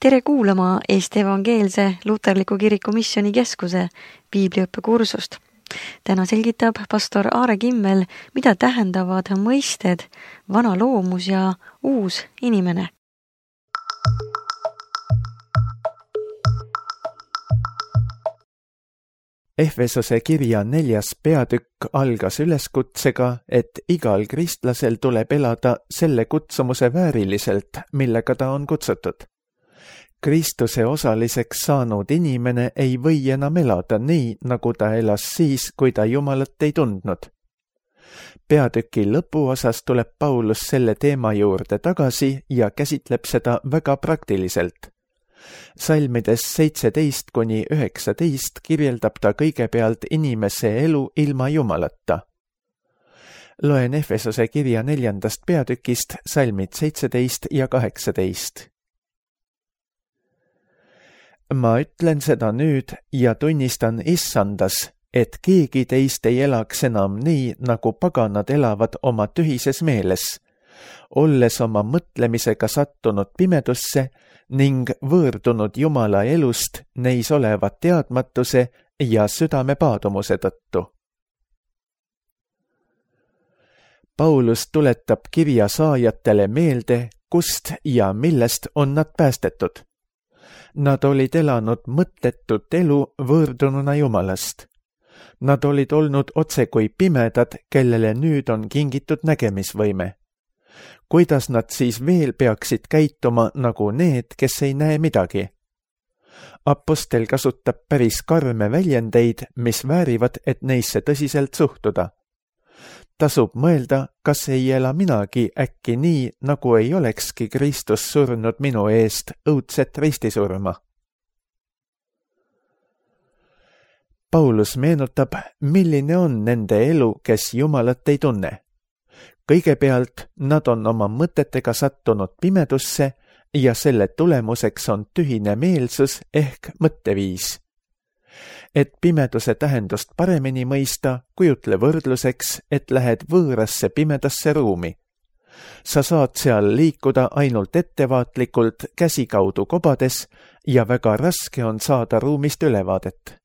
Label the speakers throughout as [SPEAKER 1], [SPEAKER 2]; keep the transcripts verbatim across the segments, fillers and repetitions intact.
[SPEAKER 1] Tere kuulama Eesti Evangeelse Luterliku Kiriku Missioonikeskuse piibliõppekursust. Täna selgitab pastor Aare Kimmel, mida tähendavad mõisted vana loomus ja uus inimene.
[SPEAKER 2] Efesose kirja neljas peatükk algas üleskutsega, et igal kristlasel tuleb elada selle kutsumuse vääriliselt, millega ta on kutsutud. Kristuse osaliseks saanud inimene ei või enam elada nii, nagu ta elas siis, kui ta Jumalat ei tundnud. Peatüki lõpuosas tuleb Paulus selle teema juurde tagasi ja käsitleb seda väga praktiliselt. Salmides seitseteist kuni üheksateist kirjeldab ta kõigepealt inimese elu ilma Jumalata. Loen Efesose kirja neljandast peatükist salmid seitseteist ja kaheksateist. Ma ütlen seda nüüd ja tunnistan issandas, et keegi teist ei elaks enam nii, nagu paganad elavad oma tühises meeles, olles oma mõtlemisega sattunud pimedusse ning võõrdunud Jumala elust neis olevat teadmatuse ja südame paadumuse tõttu. Paulus tuletab kirja saajatele meelde, kust ja millest on nad päästetud. Nad olid elanud mõttetut elu võõrdununa Jumalast. Nad olid olnud otse kui pimedad, kellele nüüd on kingitud nägemisvõime. Kuidas nad siis veel peaksid käituma nagu need, kes ei näe midagi? Apostel kasutab päris karme väljendeid, mis väärivad, et neisse tõsiselt suhtuda. Tasub mõelda, kas ei ela minagi äkki nii, nagu ei olekski Kristus surnud minu eest õudset ristisurma. Paulus meenutab, milline on nende elu, kes Jumalat ei tunne. Kõigepealt nad on oma mõtetega sattunud pimedusse ja selle tulemuseks on tühine meelsus ehk mõtteviis. Et pimeduse tähendust paremini mõista, kujutle võrdluseks, et lähed võõrasse pimedasse ruumi. Sa saad seal liikuda ainult ettevaatlikult käsi kaudu kobades ja väga raske on saada ruumist ülevaadet.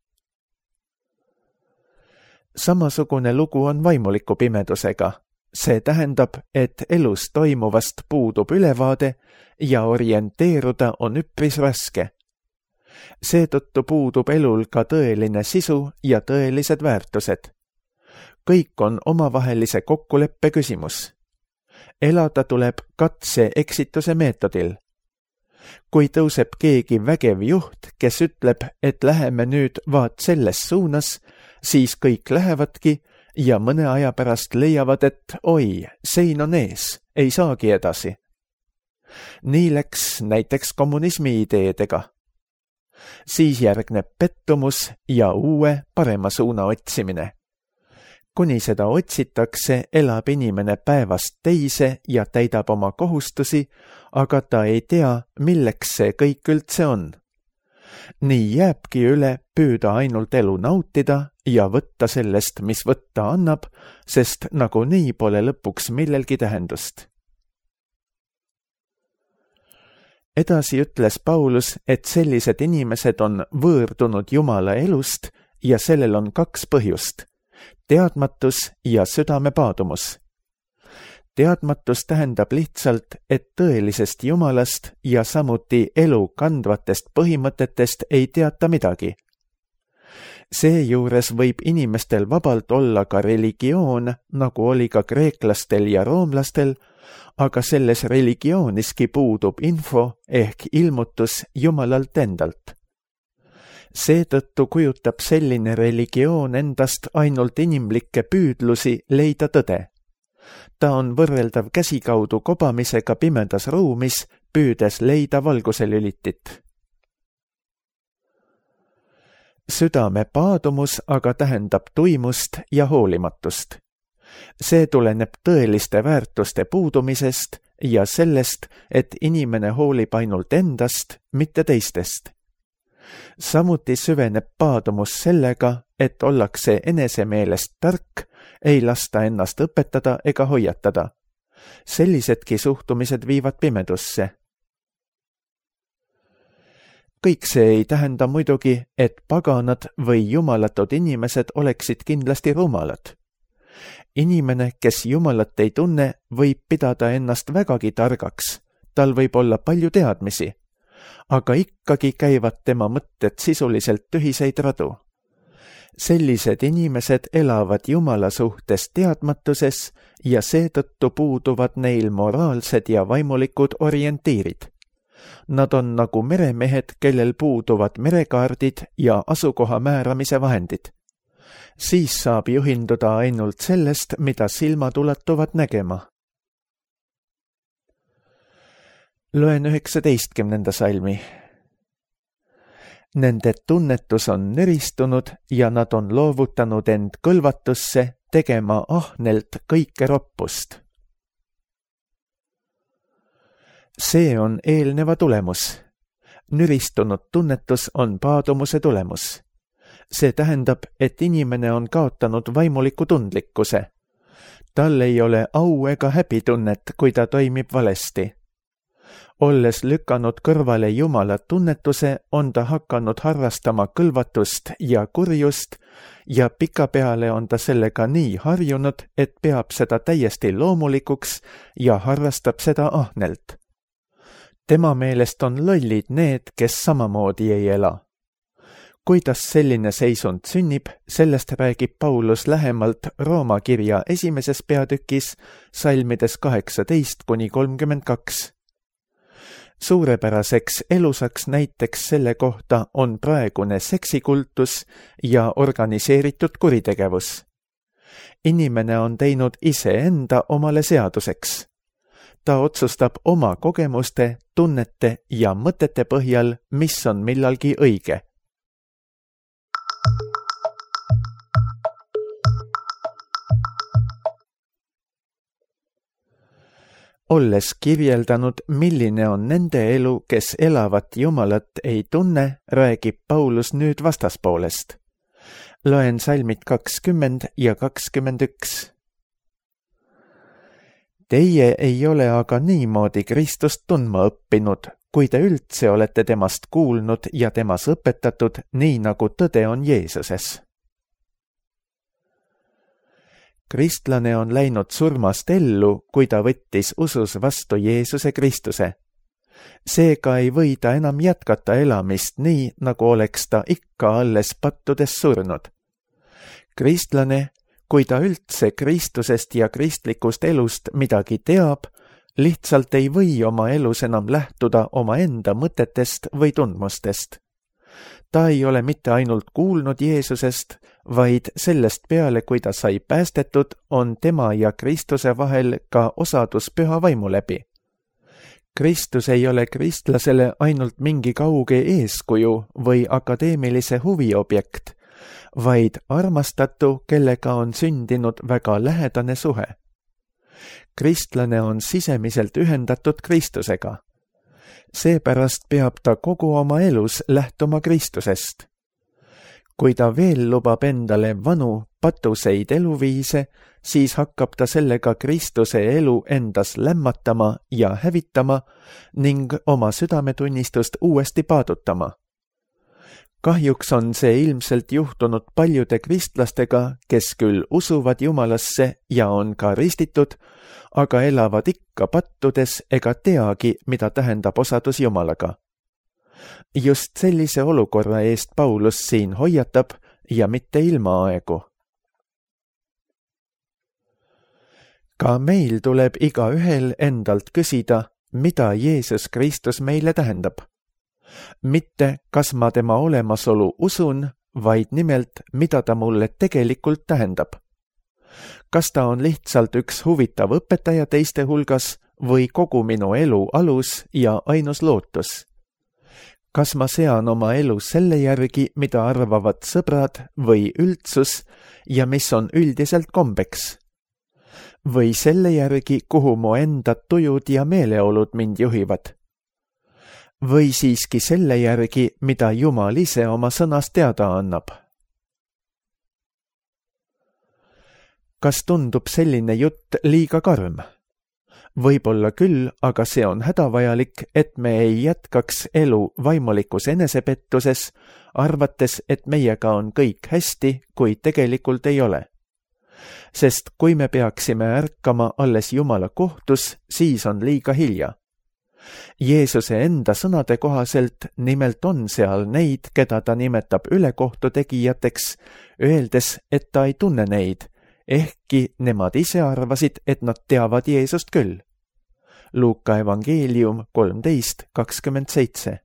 [SPEAKER 2] Samasugune lugu on vaimuliku pimedusega. See tähendab, et elus toimuvast puudub ülevaade ja orienteeruda on üpris raske. Seetõttu puudub elul ka tõeline sisu ja tõelised väärtused. Kõik on omavahelise kokkuleppe küsimus. Elada tuleb katse-eksituse meetodil. Kui tõuseb keegi vägev juht, kes ütleb, et läheme nüüd vaat selles suunas, siis kõik lähevadki ja mõne aja pärast leiavad, et oi, sein on ees, ei saagi edasi. Nii läks näiteks kommunismi ideedega. Siis järgneb pettumus ja uue parema suuna otsimine. Kuni seda otsitakse, elab inimene päevast teise ja täidab oma kohustusi, aga ta ei tea, milleks see kõik üldse on. Nii jääbki üle püüda ainult elu nautida ja võtta sellest, mis võtta annab, sest nagunii pole lõpuks millelgi tähendust. Edasi ütles Paulus, et sellised inimesed on võõrdunud Jumala elust ja sellel on kaks põhjust, teadmatus ja südame paadumus. Teadmatus tähendab lihtsalt, et tõelisest Jumalast ja samuti elu kandvatest põhimõtetest ei teata midagi. Seejuures võib inimestel vabalt olla ka religioon, nagu oli ka kreeklastel ja roomlastel, aga selles religiooniski puudub info ehk ilmutus Jumalalt endalt. Seetõttu kujutab selline religioon endast ainult inimlikke püüdlusi leida tõde. Ta on võrreldav käsikaudu kobamisega pimedas ruumis, püüdes leida valguse lülitit. Südame paadumus aga tähendab tuimust ja hoolimatust. See tuleneb tõeliste väärtuste puudumisest ja sellest, et inimene hoolib ainult endast, mitte teistest. Samuti süveneb paadumus sellega, et ollakse enese meelest tark, ei lasta ennast õpetada ega hoiatada. Sellisedki suhtumised viivad pimedusse. kõik see ei tähenda muidugi, et paganad või jumalatud inimesed oleksid kindlasti rumalad. Inimene, kes jumalat ei tunne, võib pidada ennast vägagi targaks, tal võib olla palju teadmisi, aga ikkagi käivad tema mõtted sisuliselt tühiseid radu. Sellised inimesed elavad Jumala suhtes teadmatuses ja seetõttu puuduvad neil moraalsed ja vaimulikud orientiirid. Nad on nagu meremehed, kellel puuduvad merekaardid ja asukoha määramise vahendid. Siis saab juhinduda ainult sellest, mida silmad ulatuvad nägema. Loen üheksateistkümnenda salmi. Nende tunnetus on neristunud ja nad on loovutanud end kõlvatusse tegema ahnelt kõike roppust. See on eelneva tulemus. Nüristunud tunnetus on paadumuse tulemus. See tähendab, et inimene on kaotanud vaimuliku tundlikkuse. Tal ei ole au ega häbitunnet, kui ta toimib valesti. Olles lükanud kõrvale Jumala tunnetuse, on ta hakanud harrastama kõlvatust ja kurjust ja pikapeale on ta sellega nii harjunud, et peab seda täiesti loomulikuks ja harrastab seda ahnelt. Tema meelest on lollid need, kes samamoodi ei ela. Kuidas selline seisund sünnib, sellest räägib Paulus lähemalt Rooma kirja esimeses peatükis, salmides kaheksateist kuni kolmkümmend kaks. Suurepäraseks elusaks näiteks selle kohta on praegune seksikultus ja organiseeritud kuritegevus. Inimene on teinud iseenda omale seaduseks. Ta otsustab oma kogemuste, tunnete ja mõtete põhjal, mis on millalgi õige. Olles kirjeldanud, milline on nende elu, kes elavat Jumalat ei tunne, räägib Paulus nüüd vastaspoolest. Loen salmid kakskümmend ja kakskümmend üks. Teie ei ole aga niimoodi Kristust tundma õppinud, kui te üldse olete temast kuulnud ja temas õpetatud, nii nagu tõde on Jeesuses. Kristlane on läinud surmast ellu, kui ta võttis usus vastu Jeesuse Kristuse. Seega ei või ta enam jätkata elamist nii, nagu oleks ta ikka alles pattudes surnud. Kristlane, kui ta üldse Kristusest ja kristlikust elust midagi teab, lihtsalt ei või oma elus enam lähtuda oma enda mõtetest või tundmustest. Ta ei ole mitte ainult kuulnud Jeesusest, vaid sellest peale, kui ta sai päästetud, on tema ja Kristuse vahel ka osadus püha vaimu läbi. Kristus ei ole kristlasele ainult mingi kauge eeskuju või akadeemilise huviobjekt, vaid armastatu, kellega on sündinud väga lähedane suhe. Kristlane on sisemiselt ühendatud Kristusega. Seepärast peab ta kogu oma elus lähtuma Kristusest. Kui ta veel lubab endale vanu, patuseid eluviise, siis hakkab ta sellega Kristuse elu endas lämmatama ja hävitama ning oma südametunnistust uuesti paadutama. Kahjuks on see ilmselt juhtunud paljude kristlastega, kes küll usuvad Jumalasse ja on ka ristitud, aga elavad ikka pattudes ega teagi, mida tähendab osadus Jumalaga. Just sellise olukorra eest Paulus siin hoiatab ja mitte ilmaaegu. Ka meil tuleb igaühel endalt küsida, mida Jeesus Kristus meile tähendab. Mitte, kas ma tema olemasolu usun, vaid nimelt, mida ta mulle tegelikult tähendab. Kas ta on lihtsalt üks huvitav õpetaja teiste hulgas või kogu minu elu alus ja ainus lootus? Kas ma sean oma elu selle järgi, mida arvavad sõbrad või üldsus ja mis on üldiselt kombeks? Või selle järgi, kuhu mu enda tujud ja meeleolud mind juhivad? Või siiski selle järgi, mida Jumal ise oma sõnas teada annab? Kas tundub selline jutt liiga karm? Võib-olla küll, aga see on hädavajalik, et me ei jätkaks elu vaimulikus enesepettuses, arvates, et meiega on kõik hästi, kuid tegelikult ei ole. Sest kui me peaksime ärkama alles Jumala kohtus, siis on liiga hilja. Jeesuse enda sõnade kohaselt nimelt on seal neid, keda ta nimetab ülekohtu tegijateks, öeldes, et ta ei tunne neid, ehkki nemad ise arvasid, et nad teavad Jeesust küll. Luuka evangeelium kolmteist kakskümmend seitse.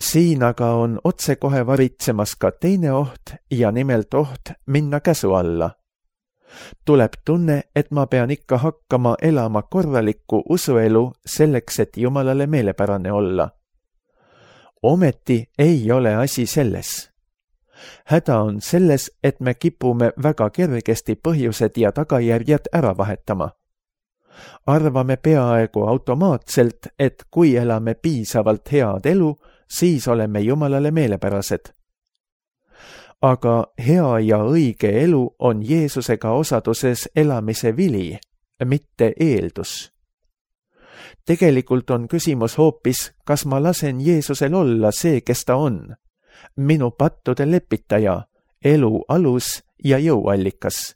[SPEAKER 2] Siin aga on otsekohe varitsemas ka teine oht ja nimelt oht minna käsu alla. Tuleb tunne, et ma pean ikka hakkama elama korralikku usuelu selleks, et Jumalale meelepärane olla. Ometi ei ole asi selles. Häda on selles, et me kipume väga kergesti põhjused ja tagajärjed ära vahetama. Arvame peaaegu automaatselt, et kui elame piisavalt head elu, siis oleme Jumalale meelepärased. Aga hea ja õige elu on Jeesusega osaduses elamise vili, mitte eeldus. Tegelikult on küsimus hoopis, kas ma lasen Jeesusel olla see, kes ta on. Minu pattude lepitaja, elu alus ja jõuallikas.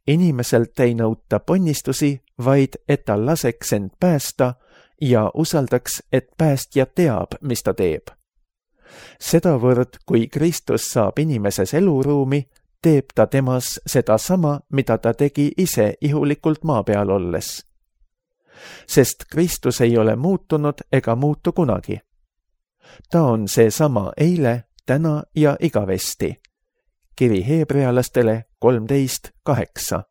[SPEAKER 2] Inimeselt ei nõuta ponnistusi, vaid et ta laseks end päästa ja usaldaks, et päästja teab, mis ta teeb. Sedavõrd, kui Kristus saab inimeses eluruumi, teeb ta temas seda sama, mida ta tegi ise ihulikult maa peal olles. Sest Kristus ei ole muutunud ega muutu kunagi. Ta on see sama eile, täna ja igavesti. Kiri heebrealastele kolmteist kaheksa.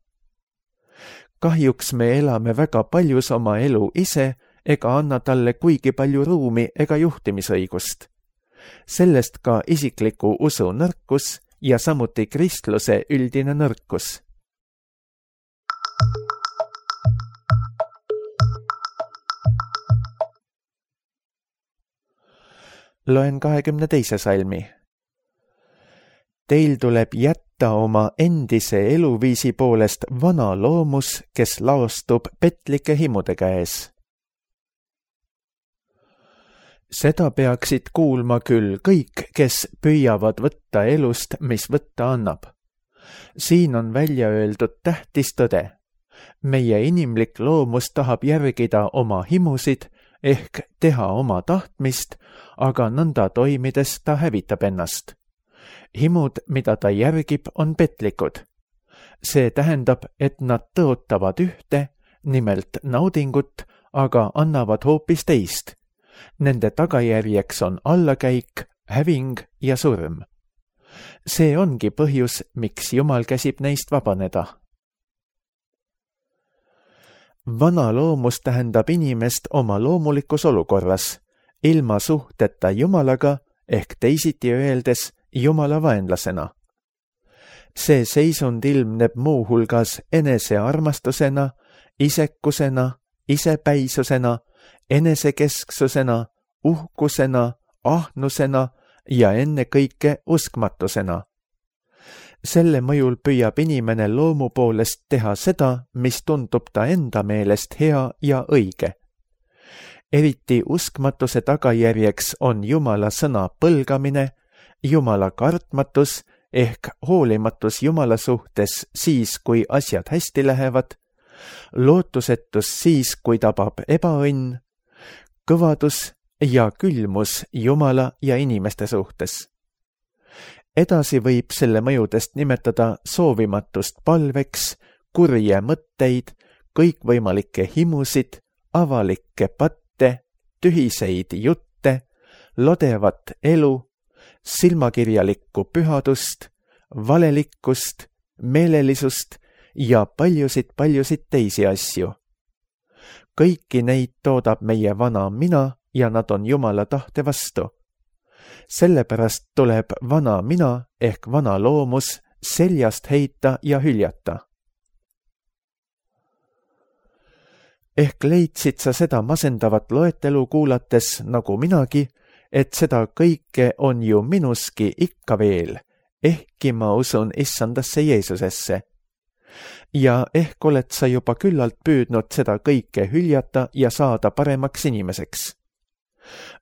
[SPEAKER 2] Kahjuks me elame väga paljus oma elu ise ega anna talle kuigi palju ruumi ega juhtimisõigust. Sellest ka isikliku usu nõrkus ja samuti kristluse üldine nõrkus. Loen kahekümne teise salmi. Teil tuleb jätta oma endise eluviisi poolest vana loomus, kes laostub petlike himude käes. Seda peaksid kuulma küll kõik, kes püüavad võtta elust, mis võtta annab. Siin on välja öeldud tähtis tõde. Meie inimlik loomus tahab järgida oma himusid ehk teha oma tahtmist, aga nõnda toimides ta hävitab ennast. Himud, mida ta järgib, on petlikud. See tähendab, et nad tõotavad ühte, nimelt naudingut, aga annavad hoopis teist. Nende tagajärjeks on allakäik, häving ja surm. See ongi põhjus, miks Jumal käsib neist vabaneda. Vana loomus tähendab inimest oma loomulikus olukorras, ilma suhteta Jumalaga ehk teisiti öeldes Jumala vaenlasena. See seisund ilmneb muuhulgas enesearmastusena, isekusena, isepäisusena, enesekesksusena, uhkusena, ahnusena ja ennekõike uskmatusena. Selle mõjul püüab inimene loomu poolest teha seda, mis tundub ta enda meelest hea ja õige. Eriti uskmatuse tagajärjeks on Jumala sõna põlgamine, Jumala kartmatus ehk hoolimatus Jumala suhtes siis, kui asjad hästi lähevad, lootusetus siis, kui tabab ebaõnn, kõvadus ja külmus Jumala ja inimeste suhtes. Edasi võib selle mõjudest nimetada soovimatust palveks, kurje mõtteid, kõikvõimalikke himusid, avalikke patte, tühiseid jutte, lodevat elu, silmakirjalikku pühadust, valelikkust, meelelisust ja paljusid-paljusid teisi asju. Kõiki neid toodab meie vana mina ja nad on Jumala tahte vastu. Sellepärast tuleb vana mina ehk vana loomus seljast heita ja hüljata. Ehk leidsid sa seda masendavat loetelu kuulates nagu minagi, et seda kõike on ju minuski ikka veel, ehkki ma usun issandasse Jeesusesse. ja ehk oled sa juba küllalt püüdnud seda kõike hüljata ja saada paremaks inimeseks.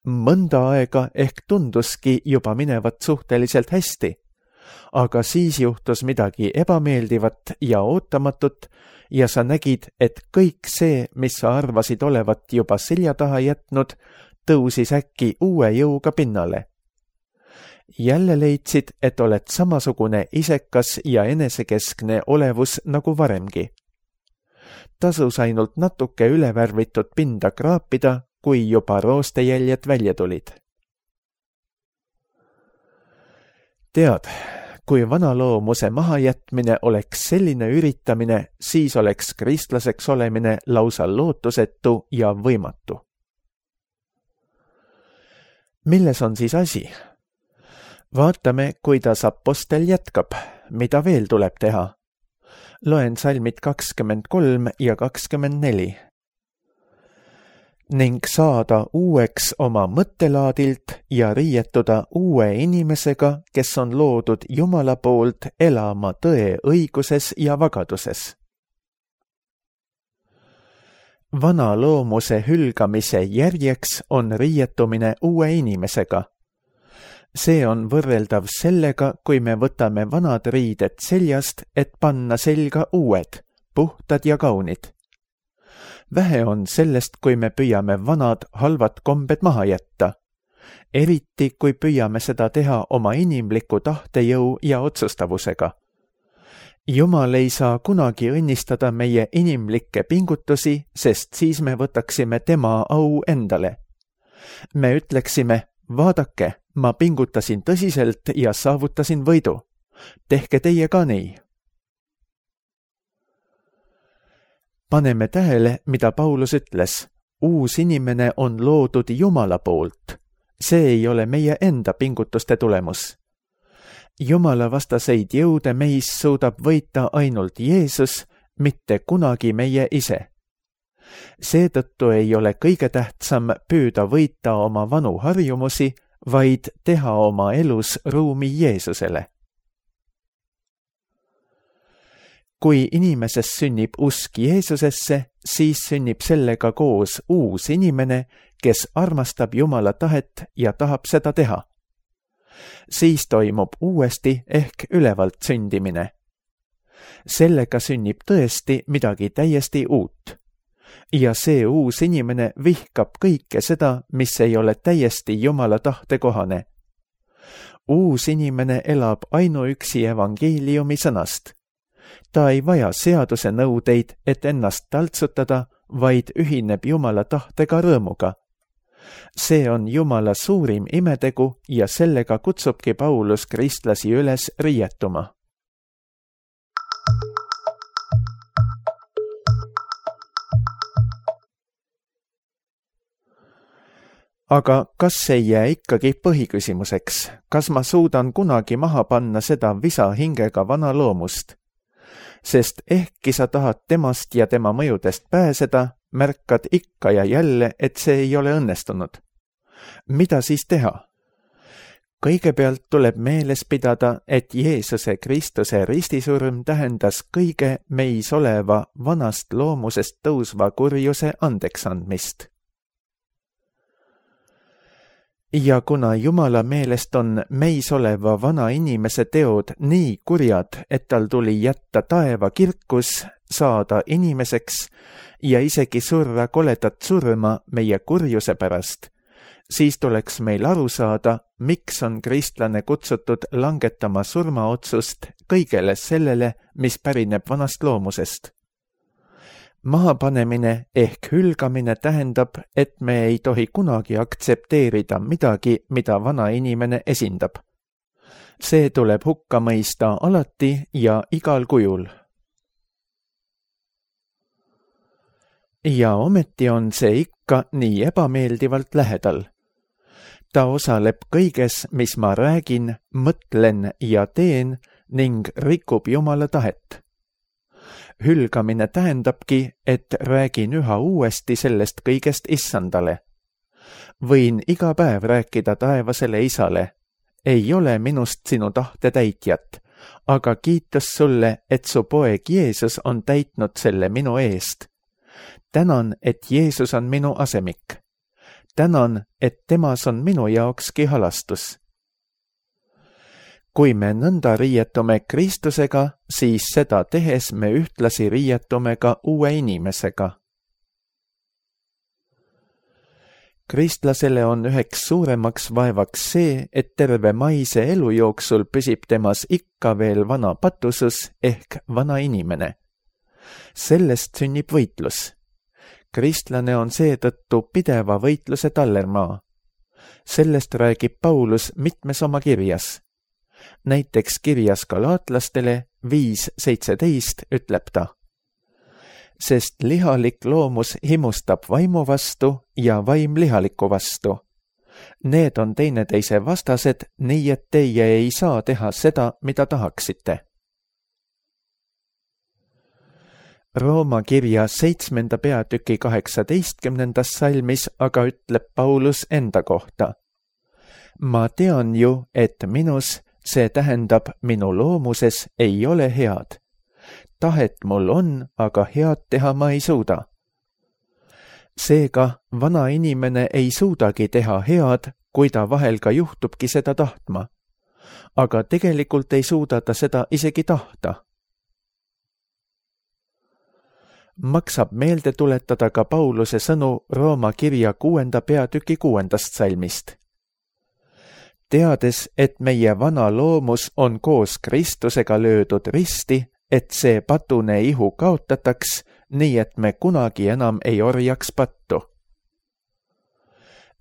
[SPEAKER 2] Mõnda aega ehk tunduski juba minevat suhteliselt hästi, aga siis juhtus midagi ebameeldivat ja ootamatut ja sa nägid, et kõik see, mis sa arvasid olevat juba selja taha jätnud, tõusis äkki uue jõuga pinnale. Jälle leidsid, et oled samasugune isekas ja enesekeskne olevus nagu varemgi. Tasus ainult natuke ülevärvitud pinda kraapida, kui juba roostejäljed välja tulid. Tead, kui vanaloomuse mahajätmine oleks selline üritamine, siis oleks kristlaseks olemine lausa lootusetu ja võimatu. Milles on siis asi? Vaatame, kuidas apostel jätkab, mida veel tuleb teha. Loen salmid kakskümmend kolm ja kakskümmend neli. Ning saada uueks oma mõttelaadilt ja riietuda uue inimesega, kes on loodud Jumala poolt elama tõe õiguses ja vagaduses. Vana loomuse hülgamise järjeks on riietumine uue inimesega. See on võrreldav sellega, kui me võtame vanad riided seljast, et panna selga uued, puhtad ja kaunid. Vähe on sellest, kui me püüame vanad halvad kombed maha jätta. Eriti, kui püüame seda teha oma inimliku tahtejõu ja otsustavusega. Jumal ei saa kunagi õnnistada meie inimlikke pingutusi, sest siis me võtaksime tema au endale. Me ütleksime, vaadake, ma pingutasin tõsiselt ja saavutasin võidu. Tehke teie ka nii. Paneme tähele, mida Paulus ütles. Uus inimene on loodud Jumala poolt. See ei ole meie enda pingutuste tulemus. Jumala vastaseid jõude meis suudab võita ainult Jeesus, mitte kunagi meie ise. Seetõttu ei ole kõige tähtsam püüda võita oma vanu harjumusi, vaid teha oma elus ruumi Jeesusele. Kui inimeses sünnib usk Jeesusesse, siis sünnib sellega koos uus inimene, kes armastab Jumala tahet ja tahab seda teha. Siis toimub uuesti ehk ülevalt sündimine. Sellega sünnib tõesti midagi täiesti uut. Ja see uus inimene vihkab kõike seda, mis ei ole täiesti Jumala tahte kohane. Uus inimene elab ainuüksi evangeeliumi sõnast. Ta ei vaja seaduse nõudeid, et ennast taltsutada, vaid ühineb Jumala tahtega rõõmuga. See on Jumala suurim imetegu ja sellega kutsubki Paulus kristlasi üles riietuma. Aga kas ei jää ikkagi põhiküsimuseks, kas ma suudan kunagi maha panna seda visa hingega vana loomust? Sest ehkki sa tahad temast ja tema mõjudest pääseda, märkad ikka ja jälle, et see ei ole õnnestunud. Mida siis teha? Kõigepealt tuleb meeles pidada, et Jeesuse Kristuse ristisurm tähendas kõige meis oleva vanast loomusest tõusva kurjuse andeksandmist. Ja kuna Jumala meelest on meis oleva vana inimese teod nii kurjad, et tal tuli jätta taeva kirkus, saada inimeseks ja isegi surra koledat surma meie kurjuse pärast, siis tuleks meil aru saada, miks on kristlane kutsutud langetama surmaotsust kõigele sellele, mis pärineb vanast loomusest. Mahapanemine ehk hülgamine tähendab, et me ei tohi kunagi aktsepteerida midagi, mida vana inimene esindab. See tuleb hukka mõista alati ja igal kujul. Ja ometi on see ikka nii ebameeldivalt lähedal. Ta osaleb kõiges, mis ma räägin, mõtlen ja teen ning rikub Jumala tahet. Hülgamine tähendabki, et räägin üha uuesti sellest kõigest issandale. Võin iga päev rääkida taevasele isale. Ei ole minust sinu tahte täitjat. aga kiitus sulle, et su poeg Jeesus on täitnud selle minu eest. Tänan, et Jeesus on minu asemik. Tänan, et temas on minu jaokski halastus. Kui me nõnda riietume Kristusega, siis seda tehes me ühtlasi riietume ka uue inimesega. Kristlasele on üheks suuremaks vaevaks see, et terve maise elu jooksul püsib temas ikka veel vana patusus ehk vana inimene. Sellest sünnib võitlus. Kristlane on seetõttu pideva võitluse tallermaa. Sellest räägib Paulus mitmes oma kirjas. Näiteks kirjas galaatlastele viis seitseteist ütleb ta: sest lihalik loomus himustab vaimu vastu ja vaim lihaliku vastu. Need on teineteise vastased, nii et teie ei saa teha seda, mida tahaksite. Rooma kirja seitsmenda peatüki kaheksateistkümnendas salmis aga ütleb Paulus enda kohta: ma tean ju, et minus, see tähendab minu loomuses, ei ole head. Tahet mul on, aga head teha ma ei suuda. Seega vana inimene ei suudagi teha head, kui ta vahel ka juhtubki seda tahtma. Aga tegelikult ei suuda ta seda isegi tahta. Maksab meelde tuletada ka Pauluse sõnu Rooma kirja kuuenda peatüki kuuendast salmist. Teades, et meie vana loomus on koos Kristusega löödud risti, et see patune ihu kaotataks, nii et me kunagi enam ei orjaks pattu.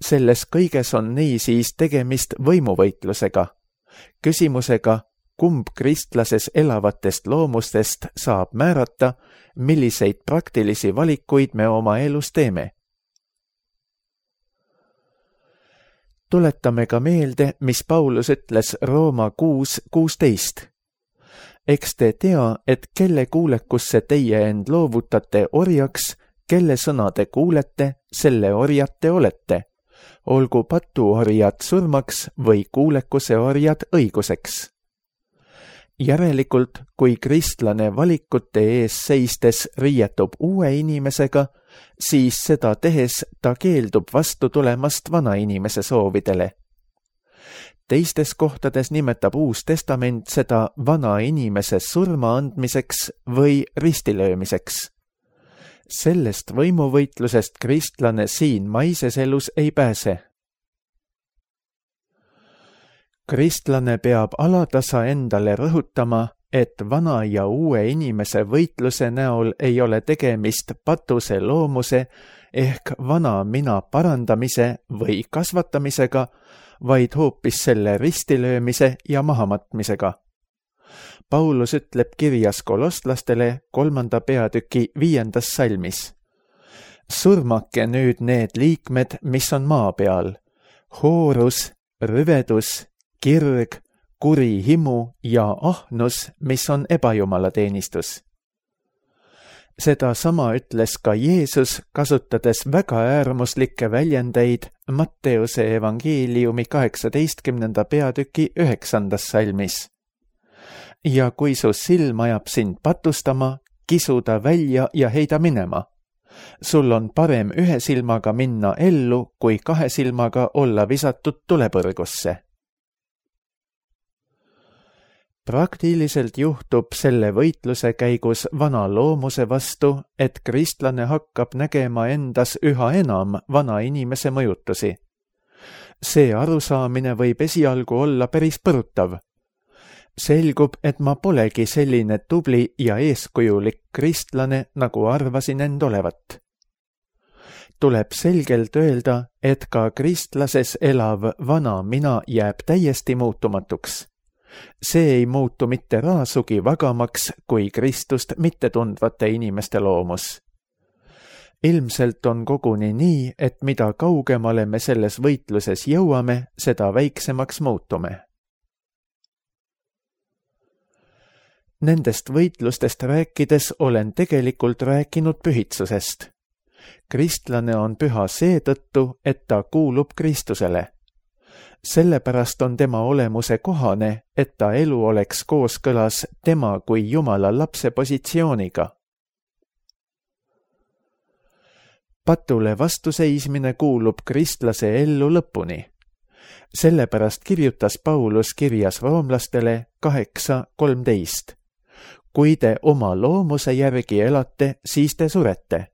[SPEAKER 2] Selles kõiges on niisiis tegemist võimuvõitlusega, küsimusega, kumb kristlases elavatest loomustest saab määrata, milliseid praktilisi valikuid me oma elus teeme. Tuletame ka meelde, mis Paulus ütles Rooma kuus kuusteist. Eks te tea, et kelle kuulekusse teie end loovutate orjaks, kelle sõna te kuulete, selle orjad te olete. Olgu patuorjad surmaks või kuulekuse orjad õiguseks. Järelikult, kui kristlane valikute ees seistes riietub uue inimesega, siis seda tehes ta keeldub vastu tulemast vana inimese soovidele. Teistes kohtades nimetab Uus Testament seda vana inimese surma andmiseks või ristilöömiseks. Sellest võimuvõitlusest kristlane siin maises elus ei pääse. Kristlane peab alatasa endale rõhutama, et vana ja uue inimese võitluse näol ei ole tegemist patuse loomuse ehk vana mina parandamise või kasvatamisega, vaid hoopis selle ristilöömise ja mahamatmisega. Paulus ütleb kirjas kolostlastele kolmanda peatüki viiendas salmis: surmake nüüd need liikmed, mis on maa peal, hoorus, rüvedus, kirg, kuri himu ja ahnus, mis on ebajumalateenistus. Seda sama ütles ka Jeesus, kasutades väga äärmuslikke väljendeid Matteuse evangeeliumi kaheksateistkümnenda peatüki üheksandas salmis. Ja kui su silm ajab sind patustama, kisu ta välja ja heida minema. Sul on parem ühe silmaga minna ellu, kui kahe silmaga olla visatud tulepõrgusse. Praktiliselt juhtub selle võitluse käigus vana loomuse vastu, et kristlane hakkab nägema endas üha enam vana inimese mõjutusi. See arusaamine võib esialgu olla päris põrutav. Selgub, et ma polegi selline tubli ja eeskujulik kristlane, nagu arvasin end olevat. Tuleb selgelt öelda, et ka kristlases elav vana mina jääb täiesti muutumatuks. See ei muutu mitte raasugi vagamaks kui Kristust mittetundvate inimeste loomus. Ilmselt on koguni nii, et mida kaugemale me selles võitluses jõuame, seda väiksemaks muutume. Nendest võitlustest rääkides olen tegelikult rääkinud pühitsusest. Kristlane on püha seetõttu, et ta kuulub Kristusele. Sellepärast on tema olemuse kohane, et ta elu oleks kooskõlas tema kui Jumala lapse positsiooniga. Patule vastuseismine kuulub kristlase ellu lõpuni. Sellepärast kirjutas Paulus kirjas roomlastele kaheksa kolmteist. Kui te oma loomuse järgi elate, siis te surete.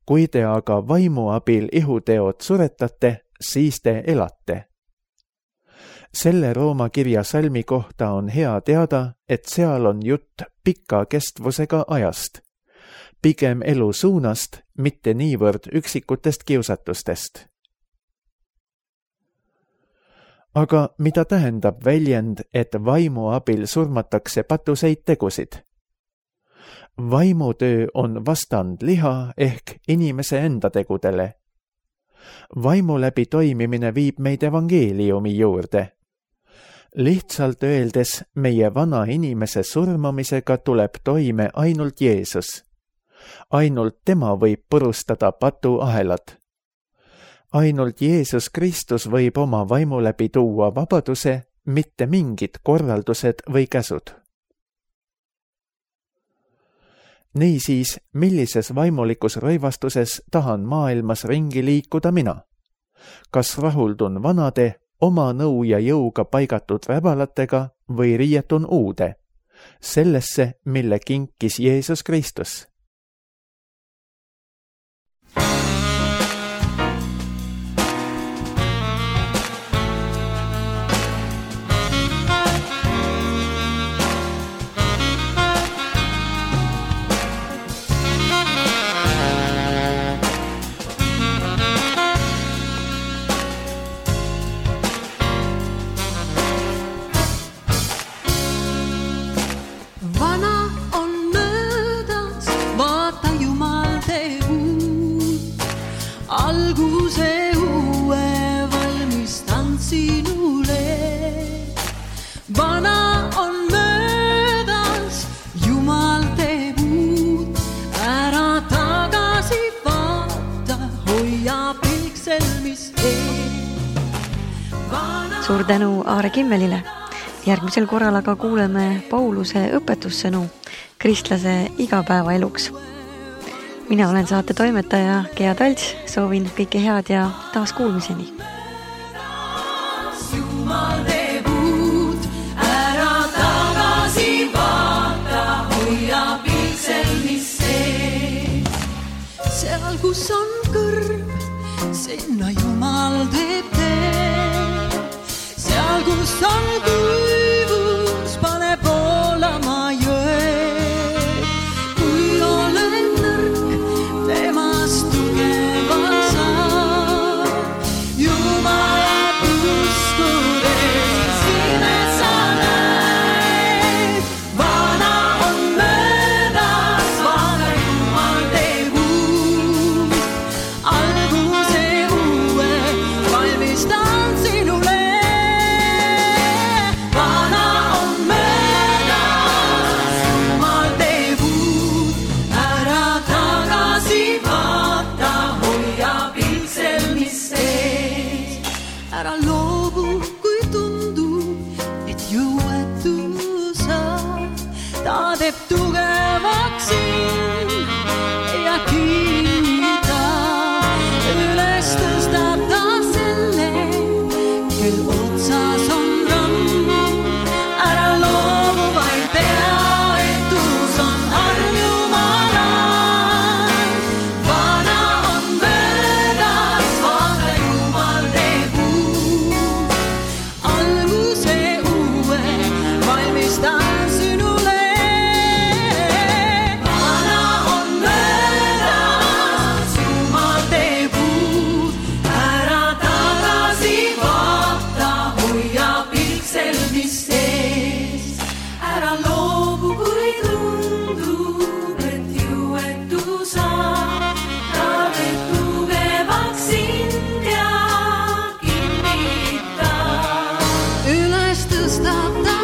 [SPEAKER 2] Kui te aga vaimu abil ihuteod suretate, siis te elate. Selle Rooma kirja salmi kohta on hea teada, et seal on jutt pika kestvusega ajast. Pigem elu suunast, mitte niivõrd üksikutest kiusatustest. Aga mida tähendab väljend, et vaimu abil surmatakse patuseid tegusid? Vaimutöö on vastand liha ehk inimese enda tegudele. Vaimu läbi toimimine viib meid evangeeliumi juurde. Lihtsalt öeldes, meie vana inimese surmamisega tuleb toime ainult Jeesus. Ainult tema võib purustada patuahelad. Ainult Jeesus Kristus võib oma vaimu läbi tuua vabaduse, mitte mingid korraldused või käsud. Niisiis, millises vaimulikus rõivastuses tahan maailmas ringi liikuda mina? Kas rahuldun vanade, oma nõu ja jõuga paigatud räbalatega või riietun uude, sellesse, mille kinkis Jeesus Kristus?
[SPEAKER 1] Suur tänu Aare Kimmelile. Järgmisel korral aga kuuleme Pauluse õpetussõnu kristlase igapäevaeluks. Mina olen saate toimetaja Gea Talts, soovin kõike head ja taas kuulmiseni. Jumal teeb uut, ära tagasi vaata, hoia pilksel mis sees. Seal, kus on kõrv, sinna Jumal teeb teed. Seal, kus on kuivus, pane voolama jõed. Kui olen nõrk, temast tugevalt saab. Jumalat uskudes silmed sa näed. Vana on möödas, vaata Jumal teeb uut. Alguse uue valmistan sinule. Ära loobu, kui tundub, et jõuetu sa. Ta teeb tugevaks sind ja kinnita. Üles tõstab ta selle, kel otsas on ramm. Ära loobu, vaid tea, et uus on arm Jumala. Vana on möödas, vaata Jumal teeb uut. Alguse uue valmistan sinule. Vana on möödas, Jumal teeb uut. Ära tagasi vaata, hoia pilksel mis sees. Ära loobu, kui tundub, et jõuetu sa. Ta teeb tugevaks sind ja kinnita. Üles tõstab ta